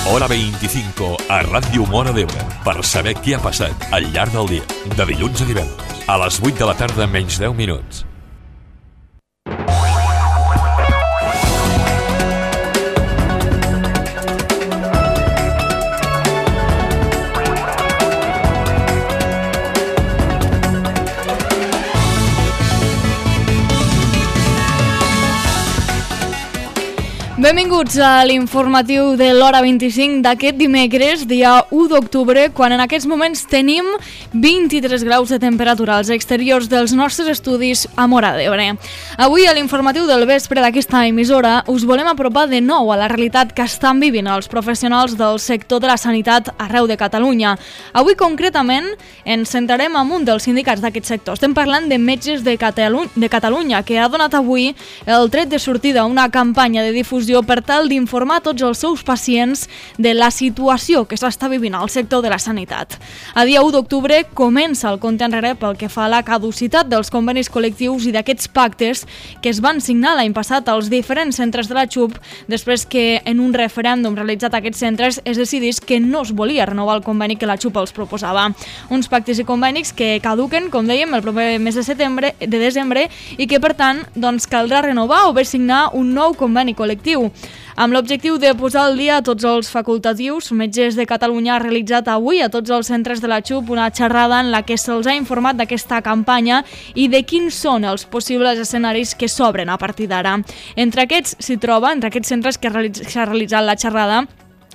Hora 25 a Ràdio Móra d'Ebre per saber què ha passat al llarg del dia, de dilluns a divendres, a les 8 de la tarda menys 10 minuts. Benvinguts a l'informatiu de l'Hora 25 d'aquest dimecres, dia 1 d'octubre, quan en aquests moments tenim 23 graus de temperatura als exteriors dels nostres estudis a Móra d'Ebre. Avui a l'informatiu del vespre d'aquesta emissora us volem apropar de nou a la realitat que estan vivint els professionals del sector de la sanitat arreu de Catalunya. Avui concretament ens centrarem en un dels sindicats d'aquest sector. Estem parlant de Metges de Catalunya, que ha donat avui el tret de sortida a una campanya de difusió per tal d'informar tots els seus pacients de la situació que s'està vivint al sector de la sanitat. A dia 1 d'octubre comença el compte enrere pel que fa a la caducitat dels convenis col·lectius i d'aquests pactes que es van signar l'any passat als diferents centres de la XUP després que en un referèndum realitzat a aquests centres es decidís que no es volia renovar el conveni que la XUP els proposava. Uns pactes i convenis que caduquen, com dèiem, el proper mes de desembre i que per tant caldrà renovar o bé signar un nou conveni col·lectiu. Amb l'objectiu de posar al dia tots els facultatius, Metges de Catalunya ha realitzat avui a tots els centres de la XUP una xerrada en la que se'ls ha informat d'aquesta campanya i de quins són els possibles escenaris que s'obren a partir d'ara. Entre aquests centres que s'ha realitzat la xerrada,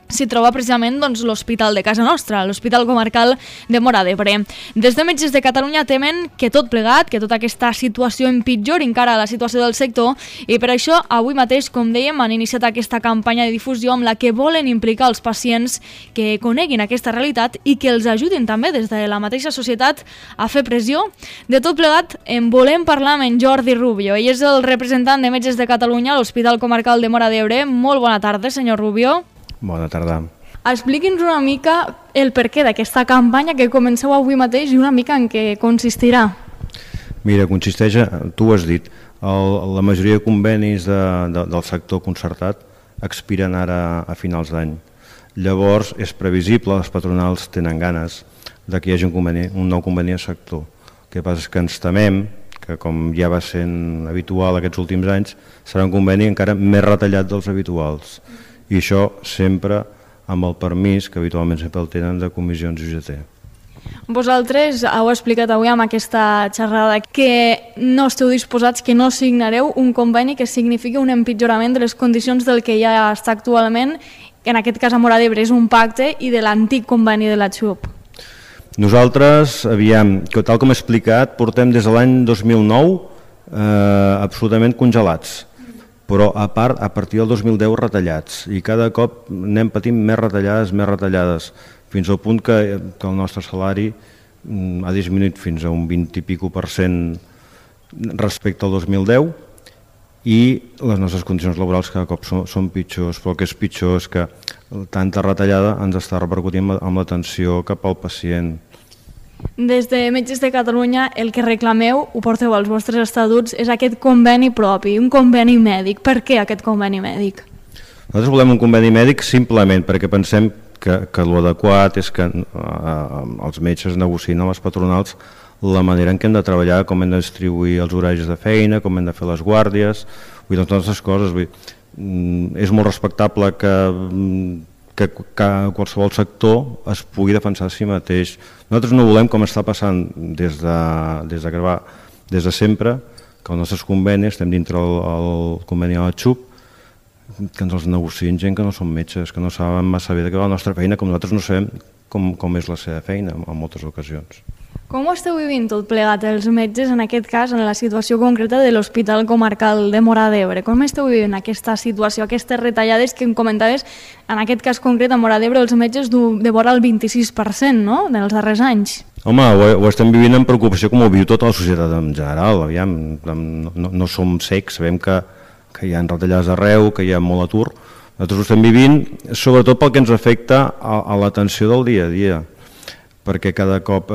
s'hi troba precisament l'Hospital de casa nostra, l'Hospital Comarcal de Móra d'Ebre. Des de Metges de Catalunya temen que tot plegat, que tota aquesta situació empitjori encara la situació del sector i per això avui mateix, com dèiem, han iniciat aquesta campanya de difusió amb la que volen implicar els pacients que coneguin aquesta realitat i que els ajudin també des de la mateixa societat a fer pressió. De tot plegat en volem parlar amb en Jordi Rubio. Ell és el representant de Metges de Catalunya a l'Hospital Comarcal de Móra d'Ebre. Molt bona tarda, senyor Rubio. Bona tarda. Expliqui'ns una mica el perquè d'aquesta campanya que comenceu avui mateix i una mica en què consistirà. Mira, consisteix, tu ho has dit, la majoria de convenis del sector concertat expiren ara a finals d'any. Llavors és previsible, les patronals tenen ganes de que hi hagi un nou conveni al sector. El que passa és que ens temem que, com ja va sent habitual aquests últims anys, serà un conveni encara més retallat dels habituals. I això sempre amb el permís, que habitualment sempre el tenen, de comissions UGT. Vosaltres heu explicat avui amb aquesta xerrada que no esteu disposats, que no signareu un conveni que signifiqui un empitjorament de les condicions del que ja està actualment, que en aquest cas a Móra d'Ebre és un pacte, i de l'antic conveni de la XUP. Nosaltres, tal com he explicat, portem des de l'any 2009 absolutament congelats, però a partir del 2010 retallats, i cada cop anem patint més retallades, fins al punt que el nostre salari ha disminuït fins a un 20 i pico% respecte al 2010 i les nostres condicions laborals cada cop són pitjors, però el que és pitjor és que tanta retallada ens està repercutint amb l'atenció cap al pacient. Des de Metges de Catalunya el que reclameu, ho porteu als vostres estatuts, és aquest conveni propi, un conveni mèdic. Per què aquest conveni mèdic? Nosaltres volem un conveni mèdic simplement perquè pensem que l'adequat és que els metges negociïn amb les patronals la manera en què hem de treballar, com hem de distribuir els horaris de feina, com hem de fer les guàrdies, totes aquestes coses. És molt respectable que qualsevol sector es pugui defensar a si mateix. Nosaltres no volem, com està passant des de sempre, que els nostres convenis, estem dintre el conveni de la XUP, que ens els negociïn gent que no són metges, que no saben massa bé de què va la nostra feina, com nosaltres no sabem com és la seva feina en moltes ocasions. Com ho esteu vivint tot plegat els metges, en aquest cas, en la situació concreta de l'Hospital Comarcal de Móra d'Ebre? Com esteu vivint aquesta situació, aquestes retallades que em comentaves, en aquest cas concret a Móra d'Ebre, els metges de vora el 26%, no?, dels darrers anys? Home, ho estem vivint amb preocupació, com ho viu tota la societat en general. No som cecs, sabem que hi ha retallades arreu, que hi ha molt atur. Nosaltres ho estem vivint, sobretot pel que ens afecta a l'atenció del dia a dia, perquè cada cop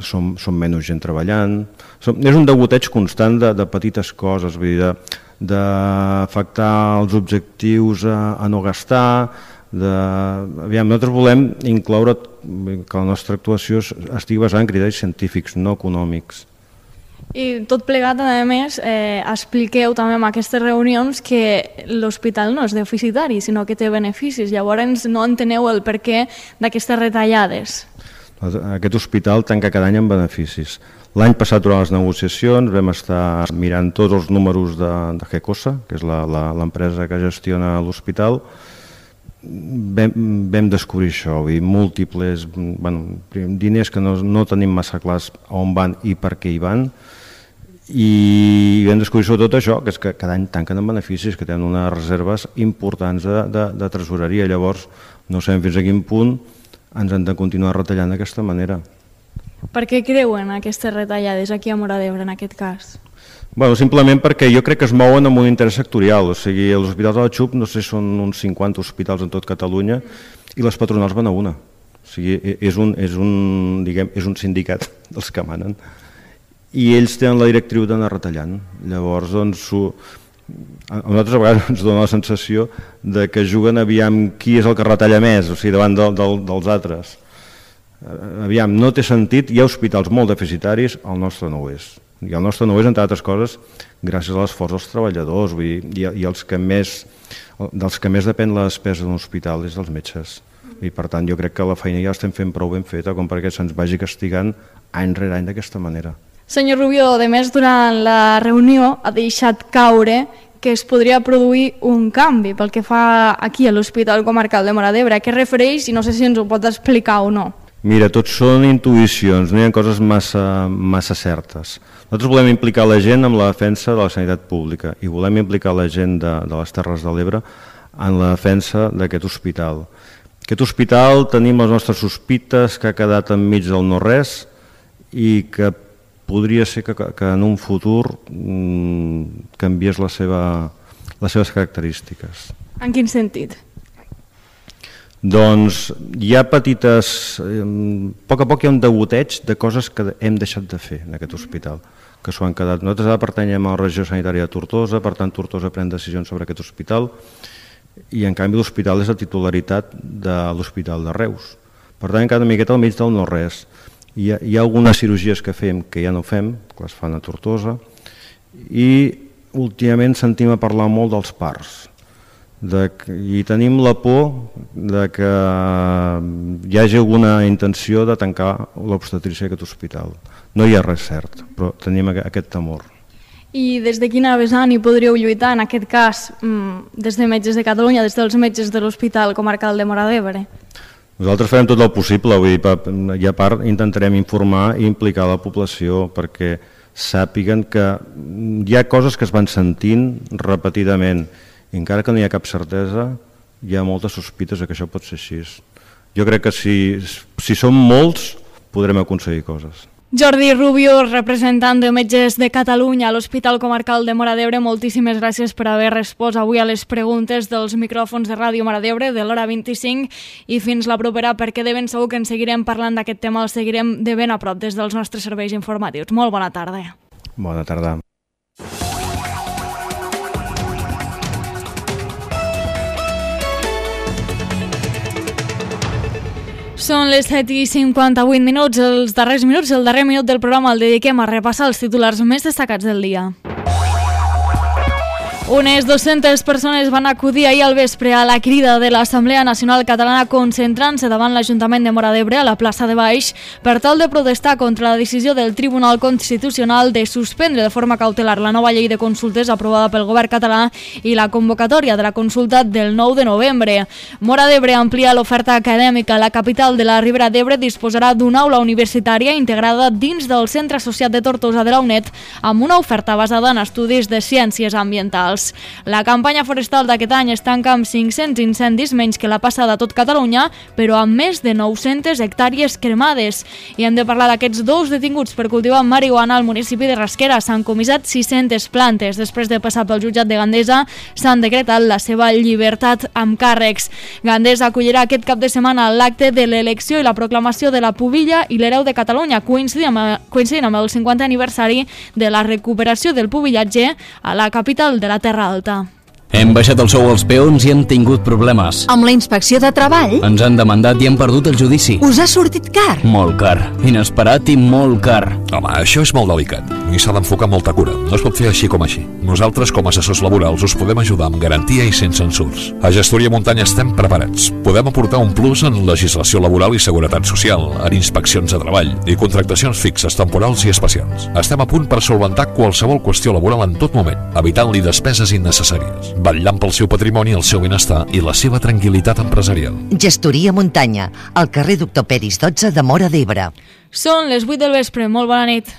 som menys gent treballant. És un degoteig constant de petites coses, d'afectar els objectius a no gastar, Aviam, nosaltres volem incloure que la nostra actuació estigui basada en criteris científics, no econòmics. I tot plegat, a més, expliqueu també en aquestes reunions que l'hospital no és deficitari, sinó que té beneficis. Llavors no enteneu el perquè d'aquestes retallades. Aquest hospital tanca cada any amb beneficis. L'any passat, durant les negociacions, vam estar mirant tots els números de GECOSA, que és l'empresa que gestiona l'hospital. Vam descobrir això, múltiples diners que no tenim massa clars on van i per què hi van, i vam descobrir sobretot això, que és que cada any tanquen amb beneficis, que tenen unes reserves importants de tresoreria. Llavors no sabem fins a quin punt ens han de continuar retallant d'aquesta manera. Per què creuen aquestes retallades aquí a Móra d'Ebre en aquest cas? Simplement perquè jo crec que es mouen amb un interès sectorial, o sigui, els hospitals de la XUP no sé, són uns 50 hospitals en tot Catalunya i les patronals van a una. O sigui, és un sindicat dels que manen i ells tenen la directriu d'anar retallant. Llavors, a nosaltres a vegades ens dona la sensació de que juguen aviam qui és el que retalla més, o sigui, davant dels altres. Aviam, no té sentit, hi ha hospitals molt deficitaris, el nostre no ho és. I el nostre no és, entre altres coses, gràcies a l'esforç dels treballadors, i dels que més depèn la despesa d'un hospital és dels metges. I per tant jo crec que la feina ja l'estem fent prou ben feta com perquè se'ns vagi castigant any rere any d'aquesta manera. Senyor Rubió, a més, durant la reunió ha deixat caure que es podria produir un canvi pel que fa aquí a l'Hospital Comarcal de Móra d'Ebre. A què refereix? I no sé si ens ho pot explicar o no. Mira, tot són intuïcions, no hi ha coses massa certes. Nosaltres volem implicar la gent en la defensa de la sanitat pública i volem implicar la gent de les Terres de l'Ebre en la defensa d'aquest hospital. Aquest hospital tenim les nostres sospites que ha quedat enmig del no-res i que podria ser que en un futur canviés les seves característiques. En quin sentit? Doncs hi ha petites... A poc a poc hi ha un degoteig de coses que hem deixat de fer en aquest hospital, que s'ho han quedat. Nosaltres ara pertanyem a la regió sanitària de Tortosa, per tant Tortosa pren decisions sobre aquest hospital i en canvi l'hospital és la titularitat de l'Hospital de Reus. Per tant, cada miqueta al mig del no-res. Hi ha algunes cirurgies que fem que ja no fem, que les fan a Tortosa, i últimament sentim a parlar molt dels parts. I tenim la por que hi hagi alguna intenció de tancar l'obstetrícia d'aquest hospital. No hi ha res cert, però tenim aquest temor. I des de quina vessant hi podríeu lluitar, en aquest cas, des de Metges de Catalunya, des dels metges de l'Hospital Comarcal de Móra d'Ebre? Nosaltres farem tot el possible, i a part intentarem informar i implicar la població perquè sàpiguen que hi ha coses que es van sentint repetidament. I encara que no hi ha cap certesa, hi ha moltes sospites que això pot ser així. Jo crec que si som molts, podrem aconseguir coses. Jordi Rubió, representant de Metges de Catalunya a l'Hospital Comarcal de Móra d'Ebre, moltíssimes gràcies per haver respost avui a les preguntes dels micròfons de Ràdio Móra d'Ebre de l'hora 25 i fins la propera, perquè de ben segur que en seguirem parlant d'aquest tema, el seguirem de ben a prop des dels nostres serveis informatius. Molt bona tarda. Bona tarda. Són les 7:58 minuts, el darrer minut del programa el dediquem a repassar els titulars més destacats del dia. Unes 200 persones van acudir ahir al vespre a la crida de l'Assemblea Nacional Catalana concentrant-se davant l'Ajuntament de Móra d'Ebre a la plaça de Baix per tal de protestar contra la decisió del Tribunal Constitucional de suspendre de forma cautelar la nova llei de consultes aprovada pel govern català i la convocatòria de la consulta del 9 de novembre. Móra d'Ebre amplia l'oferta acadèmica. La capital de la Ribera d'Ebre disposarà d'una aula universitària integrada dins del Centre Associat de Tortosa de la UNED amb una oferta basada en estudis de ciències ambientals. La campanya forestal d'aquest any es tanca amb 500 incendis menys que la passada a tot Catalunya, però amb més de 900 hectàrees cremades. I hem de parlar d'aquests dos detinguts per cultivar marihuana al municipi de Rasquera. S'han comissat 600 plantes. Després de passar pel jutjat de Gandesa, s'han decretat la seva llibertat amb càrrecs. Gandesa acollirà aquest cap de setmana l'acte de l'elecció i la proclamació de la pubilla i l'hereu de Catalunya, coincidint amb el 50è aniversari de la recuperació del pubillatge a la capital de la Terra Alta. Hem baixat el sou als peons i hem tingut problemes. Amb la inspecció de treball? Ens han demandat i hem perdut el judici. Us ha sortit car? Molt car. Inesperat i molt car. Home, això és molt delicat i s'ha d'enfocar amb molta cura. No es pot fer així com així. Nosaltres, com a assessors laborals, us podem ajudar amb garantia i sense censurs. A Gestoria Muntanya estem preparats. Podem aportar un plus en legislació laboral i seguretat social, en inspeccions de treball i contractacions fixes, temporals i especials. Estem a punt per solventar qualsevol qüestió laboral en tot moment, evitant-li despeses innecessàries, vetllant pel seu patrimoni, el seu benestar i la seva tranquil·litat empresarial. Gestoria Muntanya, al carrer Doctor Peris 12 de Móra d'Ebre. Són les 8 del vespre. Molt bona nit.